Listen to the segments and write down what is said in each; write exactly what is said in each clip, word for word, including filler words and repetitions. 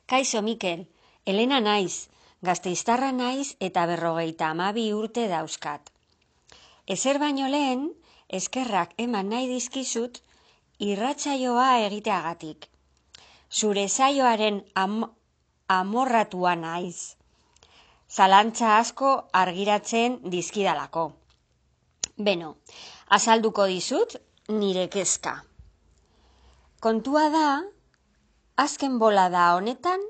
Kaixo Mikel, Elena naiz, Gasteiztarra naiz eta berrogeita hamabi urte dauzkat. Ezer baino lehen, eskerrak eman nahi dizkizut irratsaioa egiteagatik. Zure saioaren am amorratua naiz. Zalantza asko argiratzen dizkidalako. Beno, azalduko dizut nire kezka. Kontua da, azken bolada honetan,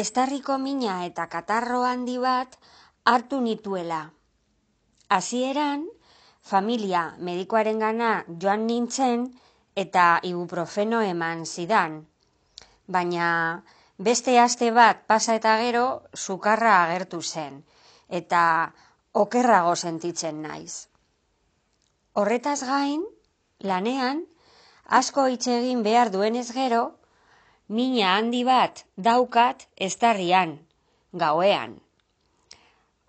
estarriko mina eta katarro handi bat hartu nituela. Hasieran, familia medikoarengana joan nintzen eta ibuprofeno eman zidan. Baina beste aste bat pasa eta gero sukarra agertu zen eta okerrago sentitzen naiz. Horretaz gain, lanean, asko hitz egin behar duenez gero, mina handi bat daukat estarrian, gauean.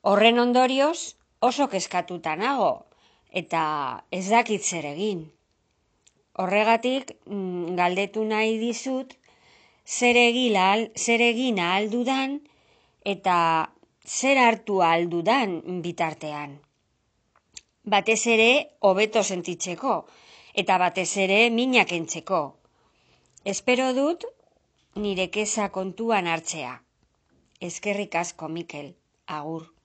Horren ondorioz oso kezkatuta nago eta ez dakit zer egin. Horregatik galdetu nahi dizut zer egin ahal dudan eta zer hartu ahal dudan bitartean. Batez ere hobeto sentitzeko eta batez ere mina kentzeko. Espero dut nire keza kontuan hartzea. Eskerrik asko, Mikel. Agur.